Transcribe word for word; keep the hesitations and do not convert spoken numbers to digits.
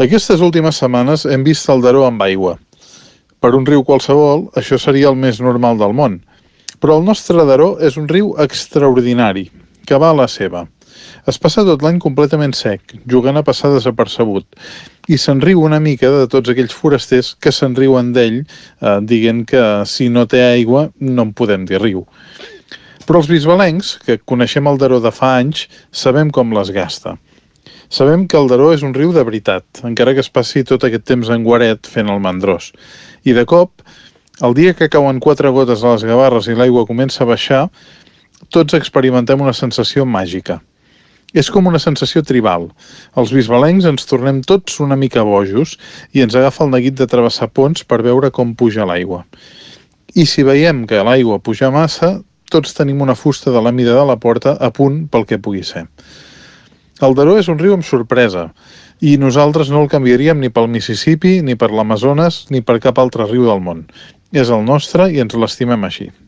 Aquestes últimes setmanes hem vist el Daró amb aigua. Per un riu qualsevol, això seria el més normal del món. Però el nostre Daró és un riu extraordinari, que va a la seva. Es passa tot l'any completament sec, jugant a passar desapercebut, i se'n riu una mica de tots aquells forasters que se'n riuen d'ell, eh, dient que si no té aigua no en podem dir riu. Però els bisbalencs, que coneixem el Daró de fa anys, sabem com les gasta. Sabem que el Daró és un riu de veritat, encara que es passi tot aquest temps en guaret fent el mandrós. I de cop, el dia que cauen quatre gotes a les gavarres i l'aigua comença a baixar, tots experimentem una sensació màgica. És com una sensació tribal. Els bisbalencs ens tornem tots una mica bojos i ens agafa el neguit de travessar ponts per veure com puja l'aigua. I si veiem que l'aigua puja massa, tots tenim una fusta de la mida de la porta a punt pel que pugui ser. El Daró és un riu amb sorpresa, i nosaltres no el canviaríem ni pel Mississippi, ni per l'Amazones, ni per cap altre riu del món. És el nostre i ens l'estimem així.